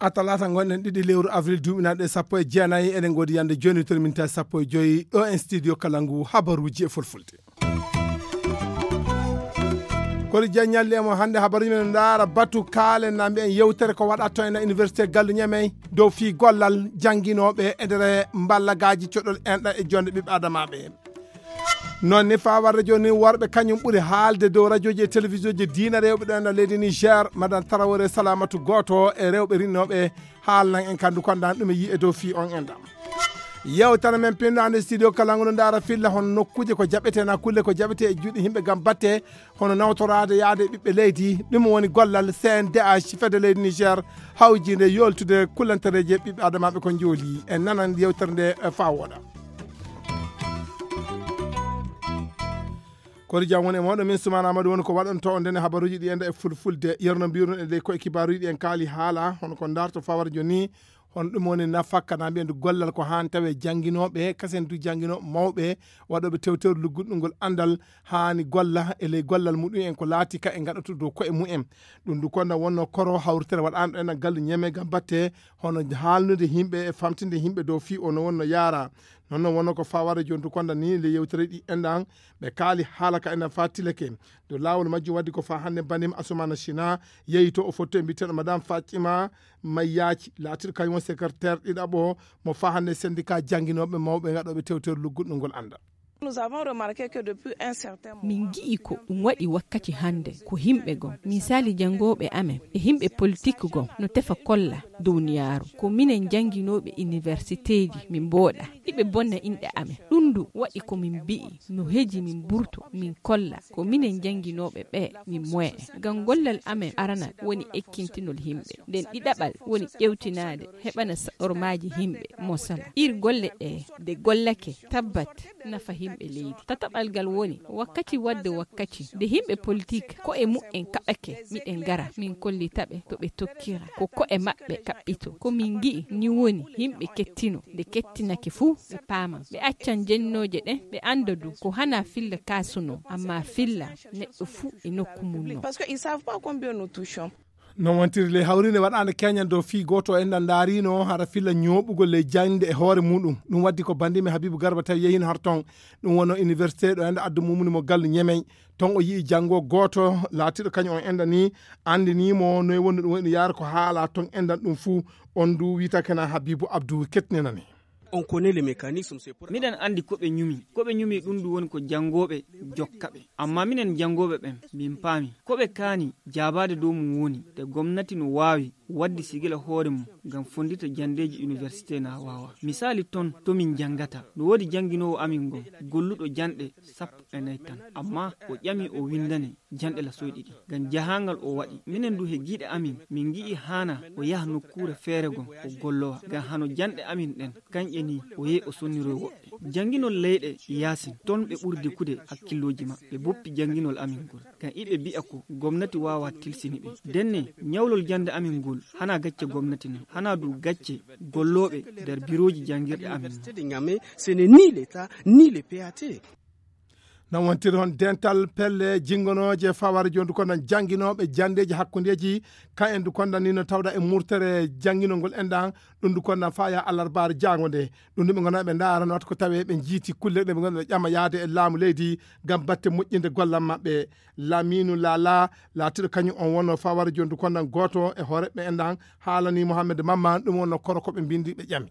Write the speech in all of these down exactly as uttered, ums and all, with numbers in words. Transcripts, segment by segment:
A talaata ngonɗen ɗiɗi lewru avril duuɓi naɗe sappo e jeenayi, eɗen ngoodi yande jooni to min tawi sappo e joyi ɗo en studio kala ngu habaruuji e fulfulde. Kori Diagne ñalli e mo hannde habaruuji men ndaara batu kaalen na mbiyen yewtere ko waɗata to ena université Gallu Ñemey dow fii gollal jannginooɓe e nder mballagaaji coɗol enɗa e jonde ɓiɓɓe adamaaɓe. Noon ni faa warde jooni worɓe kañum ɓuri haalde dow rajooji e telewisiyoji diina rewɓe ɗo ena leydi Niger. Madan Tarawore Salamatu gooto e rewɓe rinnooɓe haalnan en kandu kondan ɗum e yi'e dow fii on enɗam. Yewtere men pinnaande studio kala ngo no ndaara filla hono nokkuuje ko jaɓete na kulle ko jaɓete e juuɗe yimɓe ngam batte hono nawtoraade yaade ɓiɓɓe leydi. Ɗum woni gollal C N D H fedde leydi Niger hawjiinde yoltude kullantereeje ɓiɓɓe adamaaɓe ko njooli en nanan yewtere nde faa wooɗa. Kori jam woni e mawɗo min Sumaana Amadu woni ko waɗanto on ndene habaruuji ɗi enda e fulfulde yerno mbiruno e ley koye kibaaruuji ɗi en kaali haala hono ko ndarto fawara joni. Hono ɗum woni nafakka na mbiyen gollal ko haan tawe jannginooɓe kasen du jannginooɓe mawɓe waɗooɓe tewteru lugguɗɗungol anndal haani golla e ley gollal muɗum en ko laati ka e ngaɗatude dow koye mumen. Ɗum du konda wonno koro hawritere waɗaano ɗen gallu ñeme gam batte hono haalnude yimɓe e famtinde yimɓe dow fii o no wonno yaara. Noon no wonno ko fawara joni du konda ni le yewtere ɗi enɗan ɓe kaali haala ka enɗan fa tileke. Dow laawol majjum waddi ko fa hannde banima Asumana China yehi to o fotto e mbiteɗo madame Fatima Mayyaci laatiɗo kañum won secrétaire ɗiɗaɓo mo fa hannde syndicat jannginooɓe mawɓe gaɗooɓe tewtere lugguɗɗo ngol annda. Nous avons remarqué que depuis un certain moment, min ngi'i ko ɗum waɗi wakkati hannde ko yimɓe gom misali janngooɓe amen e yimɓe politik gom no tefa kolla duniyaaru ko minen jannginooɓe universiteeji min mbooɗa hiɓe bonna inɗe amen. Ɗum du waɗi ko min mbi'i no heji min mburto min kolla ko minen jannginooɓe ɓe min moye ngam gollal amen arana woni ekkintinol yimɓe nden ɗiɗaɓal woni ƴewtinaade heɓana saɗormaaji yimɓe mosala ir golle ɗe nde gollake tabbat nafa yimɓe leydi. Tataɓal ngal woni wakkati wadde wakkati nde yimɓe politik ko e mu'en kaɓake miɗen ngara min kollitaɓe to ɓe tokkira ko ko'e maɓɓe kaɓɓito ko min ngi'i ni woni yimɓe kettino nde kettinake fuu ɓe paaman ɓe accan jennooje ɗen ɓe annda du ko hana filla kasuno amma filla neɗɗo fuu e nokku mum non. Parce que ils savent pas combien nous touchons. Noon wontiri ley hawriinde waɗaande keñan dow fii gooto o enɗan ndaariino hara filla ñooɓugol ley jaŋde e hoore muuɗum. Ɗum waddi ko banndimi Habiibu Garba tawi yehiino har toon. Ɗum wonno université ɗo enɗan addu mumuni mo gallu ñemey. Toon o yi'i janngo gooto laatiiɗo kañum on enɗan ni anndinii mo noy wonno ɗum waɗi yaara ko haala toon enɗan ɗum fuu. On du wiyta kena Habiibu Abdu kettinanani. On connaît les mécanismes, c'est pour miɗen anndi ko ɓe ñumi ko ɓe ñumi ɗum ɗum woni ko janngooɓe jokka ɓe. Amma minen janngooɓe ɓen min paami ko ɓe kaani jaabaade dow mum woni te gomnati no waawi waɗde sigila hoore mum ngam fonndita janndeeji université na waawa. Misaali ton to min janngata no woodi jannginoowo amin ngon golluɗo janɗe sappo e nayi tan amma o ƴami o winndane janɗe lasoy ɗiɗi ngam jahaangal o waɗi. Minen du he giiɗe amin min ngi'i haana o yaha nokkuure feere gon o gollowa ngam hano janɗe amin ɗen kanƴe ni o yehi o sonniroy woɓɓe. Jannginol leyɗe yaasin ton ɓe ɓuri dekude hakkillooji maɓɓe boppi jannginol amin ngol ngam iɓe mbi'a ko gomnati waawa tilsini ɓe. Ndenne ñawlol jannde amin ngol hana gacce gomnati non hana du gacce gollooɓe nder birooji janngirɗe amin non. Ni leta ni le pate. Noon wontiri hon dental pelle jinngonooje faware jondu kondan jannginooɓe janndeeji hakkundeeji. Ka en du kondan ni no tawda e murtere jannginol ngol enɗan ɗum du kondan faya alarbaare jaango nde. Ɗum du ɓe ngona ɓe ndaara no wata ko tawe ɓe jiiti kulle ɗe ɓe ngona ɓe ƴama yaade e laamu leydi ngam batte moƴƴinde gollan maɓɓe. Laminu Lala laatiɗo kañum on wonno faware jondu kondan gooto e hooreɓe enɗan haalani Mohammed Mamman ɗum wonno koro ko ɓe mbindi ɓe ƴami.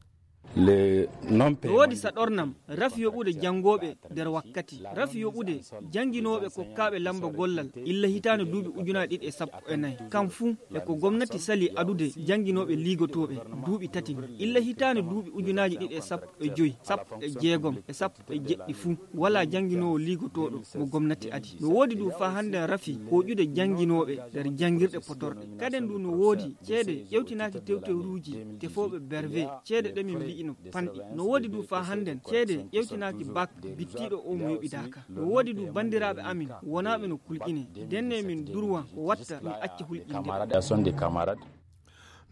No woodi saɗornam rafi yoɓude janngooɓe nder wakkati rafi yoɓude jannginooɓe kokkaaɓe lamba gollal illa hitaande duuɓi ujunaaji ɗiɗi e sappo e nayi. Kam fuu e ko gomnati sali adude jannginooɓe liigotooɓe duuɓi tati ni illa hitaande duuɓi ujunaaji ɗiɗi e sappo e joyi sappo e jeegom e sappo e jeɗɗi fuu walaa jannginoowo liigotooɗo mo gomnati adi. No woodi du faa hannden rafi hooƴude jannginooɓe nder janngirɗe potorɗe. Kaden du no woodi ceede ƴewtinaaki tewtewruuji tefooɓe berve ceede ɗe min mbi'ino panɗi. No woodi du faa hannden ceede ƴewtinaaki bak bittiiɗo o mo yoɓidaaka. No woodi du banndiraaɓe amin wonaaɓe no kulƴine ndenne min durwa ko watta min acca hulƴinde.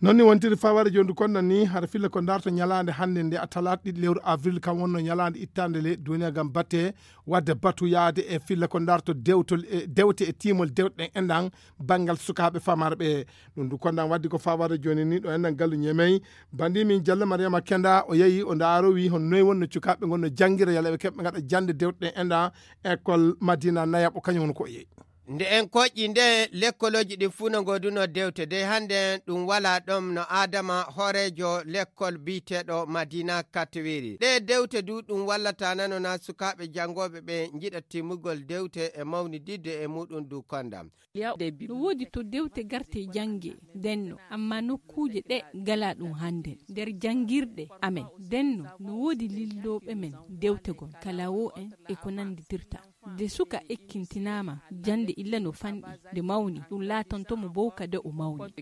Noon ni wontiri faware jooni kon nan ni hara filla ko darto ñalaande hannde nde a talaata ɗiɗi lewru avril kam wonno ñalaande ittaande le duniya ngam batte wadde batu yaade e filla ko darto dewtol e dewte e tiimol dewte ɗen enɗan banngal sukaaɓe famarɓe. Ɗum du kondan waddi ko faware jooni ni ɗo enɗan gallu ñemey bandi min jalla mariama kenda o yehi o ndaaro wi hon noy wonno cukaaɓe ngonno janngira yalla ɓe keɓɓe ngaɗa jannde dewte ɗen enɗan école madina nayaɓo kañum woni ko o yehi. Nde en koƴƴi nde lekkolooji ɗin fuu no ngoodunoo dewte dey hannde ɗum walaa ɗoon no aadama hooreejo lekkol biyeteeɗo madina katwiri ɗee dewte du ɗum wallata nano na sukaaɓe janngooɓe ɓe njiɗa timmugol dewte e mawnididde e muɗum du kondam. No woodi to dewte garte jannge denno amma nokkuuje ɗe ngalaa ɗum hannde nder janngirɗe amen denno no woodi lillooɓe men dewtegol kala o en e ko nannditirta. Nde suka ekkintinaama jannde illa no fanɗi nde mawni ɗum laatanto mo bowka de o mawni.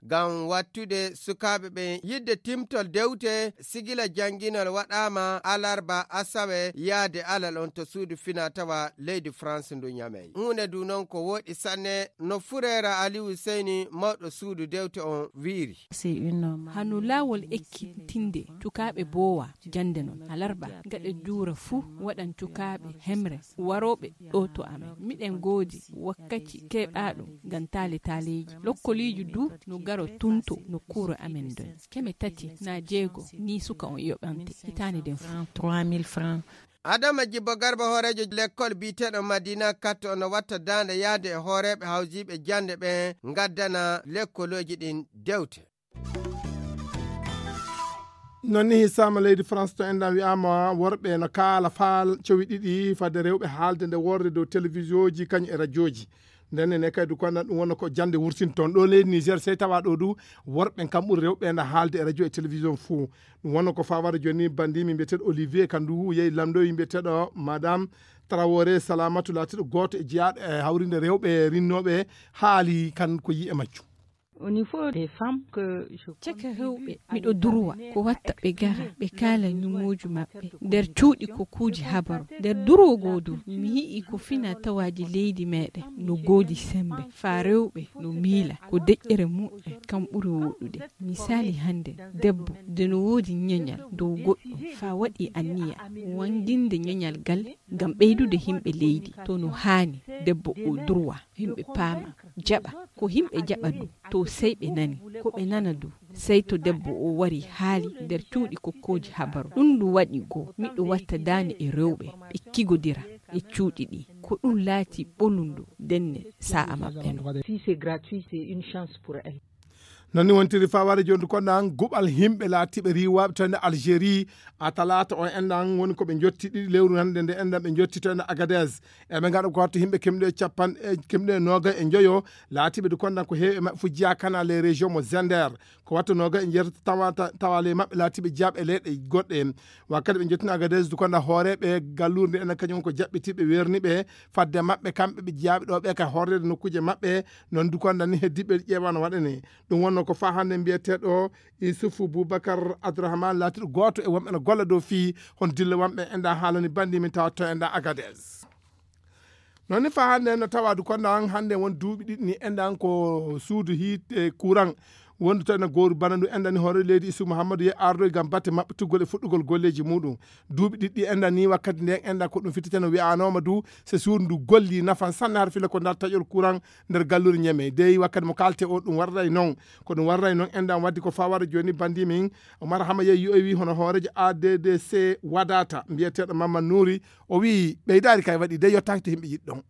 Ngam wattude sukaaɓe ɓen yiɗde timtol dewte sigila jannginol waɗaama alarba asawe yaade alal on to suudu fina tawa leydi France ndu ñamey huunde ndu noon ko wooɗi sanne no fureera aliwu seyni mawɗo suudu dewte on wiiri. Hano laawol ekkitinde cukaaɓe boowa jannde noon alarba gaɗa juura fuu waɗan cukaaɓe hemre warooɓe ɗo to amen miɗen goodi wakkaci keɓaaɗo ngam taale taaleeji lokkoliiji du no garo tunto nokkuure amen nden keme tati na jeego ni suka on yoɓante hitaande nden fuu. Adama jibbo garba hooreejo lekkol biyeteeɗo madina katto no watta daande yahde e hooreeɓe hawjiiɓe jannde ɓen ngaddana lekkolooji ɗin dewte. Noon ni hisama leydi france to enɗan wiyama worɓe no kaala faal cowi ɗiɗi fadde rewɓe haalde nde worre dow télévision ji kañum e radio ji. Nden ene kadi du konɗan ɗum wonno ko jannde wurtinto toon ɗo leydi niger sey tawa ɗo du worɓe en kam ɓuri rewɓe ene haalde e radio e télévision fuu. Ɗum wonno ko fawata jooni bandimi mbiyeteɗo olivier kandu yehi lamdoyi mbiyeteɗo madame trawore salamatu laatiɗo gooto e jeyaaɗo e hawrinde rewɓe rinnooɓe haali kan ko yi'e majjum. Au niveau des femmes que je caka rewɓe miɗo durwa ko watta ɓe gara ɓe kaala ñumooju maɓɓe nder cuuɗi ko kuuji habaru nder durwo goo du mi yi'i ko fina tawaaji leydi meɗen no goodi sembe faa rewɓe no miila ko deƴƴere muɓɓen kam ɓuri woɗɗude. Misaali hannde debbo de no woodi ñeñal dow goɗɗum faa waɗi anniya wannginde ñeñal gal ngam ɓeydude yimɓe leydi to no haani debbo o durwa yimɓe paama jaɓa ko yimɓe jaɓa du to sey ɓe nani ko ɓe nana du sey to debbo o wari haali nder cuuɗi kokkooji habaru ɗum ndu waɗi goo miɗo watta daande e rewɓe ɓe kigodira e cuuɗi ɗi ko ɗum laati ɓolundu denne sa'a maɓɓe no. Si c'est gratuit c'est une chance pour elle. Noon ni wontiri faware jondu konɗan guɓal yimɓe laatiɓe riwaɓe to ende algérie a talata o enɗan woni koɓe jotti ɗiɗi lewru hande nde enɗan ɓe jotti to ende agades eɓe gaɗa ko wattu yimɓe kemɗe capan kemɗe noga e joyo laatiɓe du konɗan ko heewi e maɓɓe fof jeeya kana les régions mo zender ko wattu noga e jeetati tawa tawa ley maɓɓe laatiɓe jeeyaɓe e leyɗe goɗɗe wakkati ɓe jottina agades du konɗan hooreɓe gallure nde enen kañum ko jaɓɓitiɓe werniɓe fadde maɓɓe kamɓe ɓe jeeyaɓe ɗo ɓe ka horrede nokkuji maɓɓe noon du konɗan ni heddiɓe ƴeewa no waɗane ɗum wonno ko fa hannde mbiyeteeɗo isufu boubacar abdourahmane laatiɗo gooto e wonɓe no golla dow fii hon dilla wonɓe enɗa haalani banndi min tawatto enɗa agades. Noon ni fa hannde no tawadu konɗan hannde won duuɓi ɗiɗi ni enɗan ko suudu hiite courant wondu to ene gooru bana ndu enɗani hoore leydi isu mouhammadou ye ardoy gam batte maɓɓe tuggol e fuɗɗugol golleji muɗum duuɓi ɗiɗɗi enɗan ni wakkati nden enɗan ko ɗum fittiteno wiyanoma du so suudu ndu golli nafan sanne har fila ko ndar taƴol courant nder gallure ñeme dey wakkati mo kalte o ɗum warray noon ko ɗum warray noon enɗan waddi ko fawara joni bandi min omar hama yeyi yowi hono hoorejo addc wadata mbiyeteɗo mamma nuuri o wi ɓeydari kay waɗi dey yottaki to yimɓe yiɗɗon.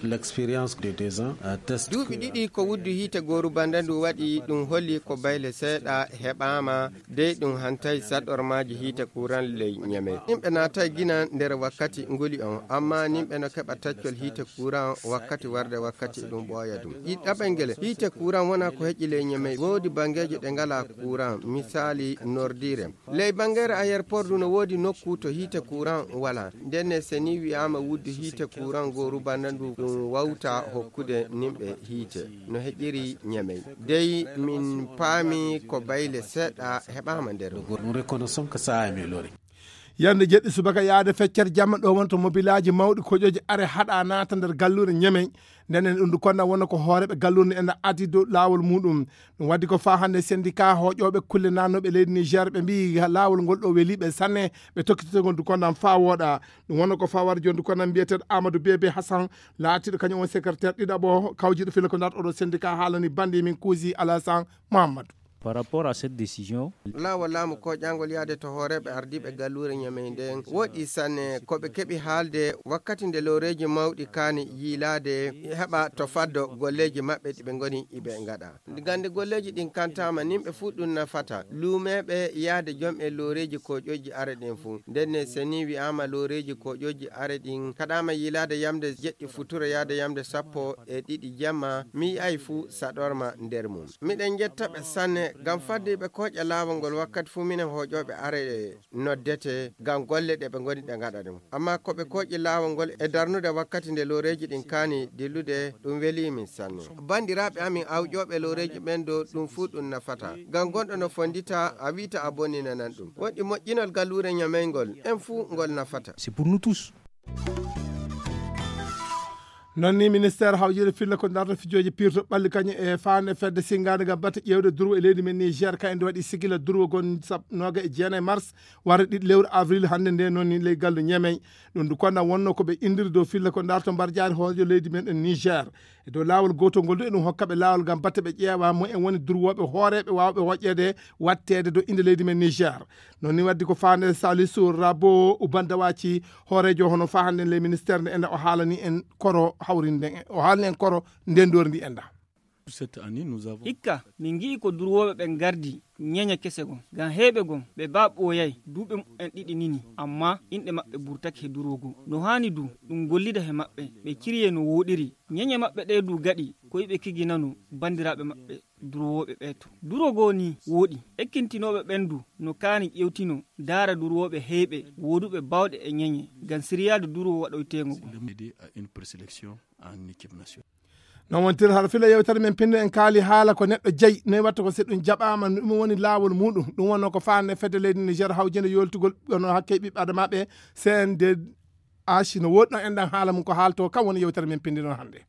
L'expérience de deux ans atteste duuɓi ɗiɗi ko wuddu hiite gooru banda ndu waɗi ɗum holli ko bayle seeɗa heɓaama dey ɗum hantay saɗormaaji hiite kuuran ley ñamey nimɓe naatay gina nder wakkati nguli on amma nimɓe no keɓa taccol hiite kuuran wakkati warde wakkati ɗum ɓooya ɗum ɗiɗaɓel ngel hiite kuuran wona ko heƴi ley ñamey woodi bangeeje ɗe ngala kuuran misaali nordire ley bangere ayerport du no woodi nokku to hiite kuuran wala ndenne seni wi'aama wuddu hiite kuuran gooru banda ndu ɗum wawta hokkude nimɓe hiite no heƴiri ñamey dey min paami ko bayle seeɗa heɓaama nder ɗum reconnaissons que ça a amélioré. Yande jeɗɗi subaka yaade feccere jamma ɗo wonto mobilaaji mawɗi koƴooji are haɗa naata nder galluure Ñemey. Nden en ɗum konna wonno ko hooreeɓe galluure ena addi dow laawol muɗum. Ɗum waddi ko faa hannde syndicat hoƴooɓe kulle naatnooɓe leydi Niger ɓe mbii laawol ngol ɗo weli ɓe sanne ɓe tokkititagol ndu konnam faa wooɗa. Ɗum wonno ko faa wara jooni ndu konnam mbiyeteeɗo Amadou Bébé Hassan laatiiɗo kañum on secrétaire ɗiɗaɓo kawjiiɗo filla ko ndaat oɗo syndicat haalani bandi min kuusi Alassane Mahamadou. Par rapport à cette décision, laawol laamu koƴangol yaade to hooreeɓe ardiiɓe galluure Ñamey nden woɗi sanne ko ɓe keɓi haalde wakkati nde looreeji mawɗi kaani yiilaade heɓa to faddo golleeji maɓɓe ɗi ɓe ngoni iɓe ngaɗa. Gande golleeji ɗin kantaama nin ɓe fuu ɗum nafata luumeeɓe yaade jom e looreeji koƴoji are ɗin fuu. Ndenne seni wi'aama looreeji koƴoji are ɗin kaɗaama yiilaade yamde jeɗɗi futuro yaade yamde sappo e ɗiɗi jamma mi yi'ay fuu saɗorma nder mum. Miɗen jetta ɓe sanne ngam fadde ɓe koƴa laawol ngol wakkati fuu minen hoƴooɓe are noddete ngam golle ɗe ɓe ngoni ɓe ngaɗa ɗum. Amma ko ɓe koƴi laawol ngol e darnude wakkati nde looreeji ɗin kaani dillude ɗum welii min sanne. Banndiraaɓe amin awƴooɓe looreeji ɓen dow ɗum fuu ɗum nafata. Ngam gonɗo no fonndita a wi'ta a bonninanan ɗum. Woɗɗi moƴƴinol galluure Ñamey ngol en fuu ngol nafata. C'est pour nous tous. Noon ni ministeer hawjere filla ko darta fijooji pirto ɓalli kañum e faande fedde sinngaande ngam batte ƴeewde durwo e leydi men Niger ka ende waɗi sigila durwo gon sab noga e jeenayi mars warde ɗiɗi lewru avril hannde nde. Noon ni ley gallu Ñemey ɗum du konna wonno ko ɓe indiri dow filla ko darta mbarjaari hoojo leydi men e Niger e dow laawol gootol ngol du eɗum hokka ɓe laawol ngam batte ɓe ƴeewa mo en woni durwooɓe hooreeɓe waawɓe hoƴƴeede watteede dow innde leydi men Niger. Noon ni waddi ko faande Salisu Rabo Ubandawaci hooreejo hono faa hannde ley ministeer nde enda o haalani en koro hawrinde o haalani en koro ndendoor ndi enda. Cette année, nous avons hikka min ngi'i ko durwooɓe ɓen gardi ñeñe kese gon ngam heeɓe gon ɓe baa ɓooyay duuɓe muɓɓen ɗiɗi nini amma inɗe maɓɓe burtake he durwo goo no haani du ɗum gollida he maɓɓe ɓe cirye no wooɗiri. Ñeñe maɓɓe ɗee du gaɗi ko iɓe kiginano banndiraaɓe maɓɓe durwooɓe ɓee to durwo goo ni wooɗi. Ekkintinooɓe ɓen du no kaani ƴewtino daara durwooɓe heeɓe wooduɓe baawɗe e ñeñe ngam siryaade durwo waɗoyteengo goo. Aider à une présélection en équipe nationale. Non wontir hara fila yewtere men pinno en kaali haala ko neɗɗo jeyi noy watta ko si ɗum jaɓaama no ɗum woni laawol muɗum ɗum wonno ko faande fedde leydi Niger hawjinde yoltugol ɗono hakke ɓiɓɓe adamaaɓe C N D H no woɗɗo enɗan haala mum ko haalto kam woni yewtere men pindi ɗon hannde.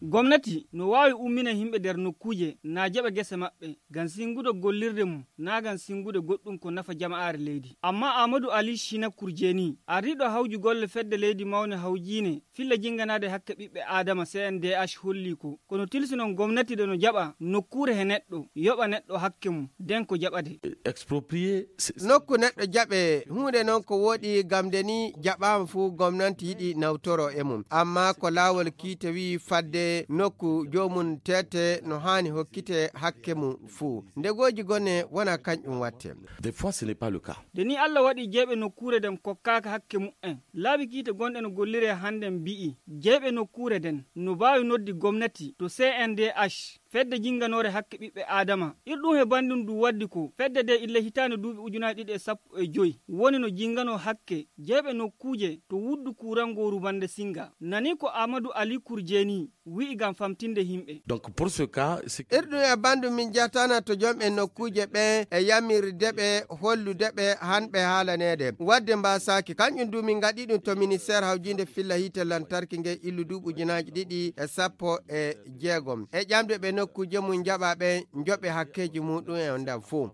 Gomnati no waawi ummina yimɓe nder nokkuuje na jaɓa gese maɓɓe ngam singude gollirde mum na ngam singude goɗɗum ko nafa jama'aare leydi. Amma Amadou Ali Shina Kurjeni, ardiiɗo hawju golle fedde leydi mawne hawjiine filla jinganaade hakke ɓiɓɓe Aadama C N D H holli ko kono tilsinon gomnati de no jaɓa nokkuure he neɗɗo yoɓa neɗɗo hakke mum den ko jaɓade. Exproprié. Nokku neɗɗo jaɓe huunde noon ko woɗi gam nde ni jaɓaama fuu gomnanti yiɗi nawtoro e mum amma ko laawol kiite wi'i fadde nokku joomum tete no haani hokkite hakke mum fuu ndegooji gone wona kañƴum watte. Des fois ce n'est pas le cas. Nde ni Allah waɗi jeyɓe nokkuure nden kokkaaka hakke muɓɓen laabi kiite gonɗe no gollire hannden mbi'i jeyɓe nokkuure nden no mbaawi noddi gomnati to C N D H fedde jinnganoore hakke ɓiɓɓe aadama. Irɗum he banndum du waddi ko fedde nde illa hitaande duuɓi ujunaaji ɗiɗi e sappo e joy woni no jinnganoo hakke jeyɓe nokkuuje to wuddu kuuran ngoo rubannde sinnga. Nani ko Aamadu Ali Kurjeeni wi'i ngam famtinde yimɓe. Donc pour ce cas, c'est que irɗum e banndum min njahtaana to jom e nokkuuje ɓee e yamirde ɓe hollude ɓe han ɓe haalaneede waɗde mbaasaaki kañum du min ngaɗi ɗum to ministeer hawjiinde filla hiite lantarki nge illu duuɓi ujunaaji ɗiɗi e sappo e jeegom e ƴamde ɓe nokkuuje mum njaɓa ɓe njoɓe hakkeeji muɗum en ndam fof.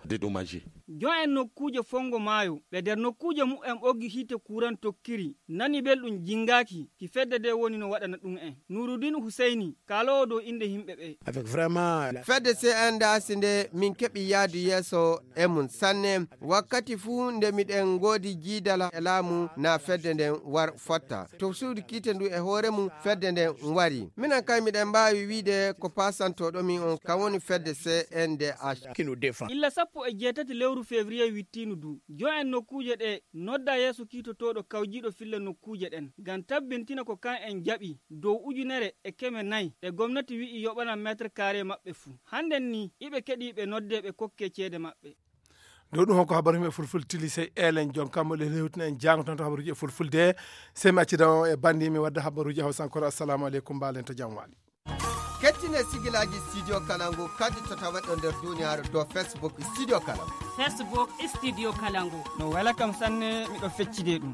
Dédommagé. Jon en nokkuuje fonngo maayo ɓe nder nokkuuje muɓɓen ɓoggi hiite kuuran tokkiri nani belɗum jinngaaki ki fedde nde woni no waɗana ɗum en. Nuuruddin Huseyni kaaloowo dow innde yimɓe ɓee. Avec vraiment la fedde C N D H nde min keɓi yaadu yeeso e mum sanne wakkati fuu nde miɗen ngoodi jiidala e laamu na fedde nden war fotta to suudu kiite ndu e hoore mum fedde nden wari minen kay miɗen mbaawi wiide ko paasantooɗo min on kam woni fedde C N D H. Illa sappo e jeetati lewru février wittiinu du jon en nokkuuje ɗee nodda yeeso kiitotooɗo kawjiiɗo filla nokkuuje ɗen ngam tabbintina ko kan en jaɓi dow ujunere e keme nayi ɗe gomnati wi'i yoɓana meetre kaare maɓɓe fuu. Hannden nii iɓe keɗii ɓe noddee ɓe kokkee ceede maɓɓe. Dow ɗum hokko habaru yimɓe fulfulde tili sey eelen jon kammo le hewtina en jaango tan to habaruuji e fulfulde. Sey mi accida on e banndi mi wadda habaruuji e hawsankore. Assalamu aleykum mbaalen to jam waali. Kettine sigilaaji Studio Kalangu kadi to taweɗo nder duniyaaru dow Facebook Studio Kalangu. Facebook Studio Kalangu. No wela kam sanne, miɗo feccide ɗum.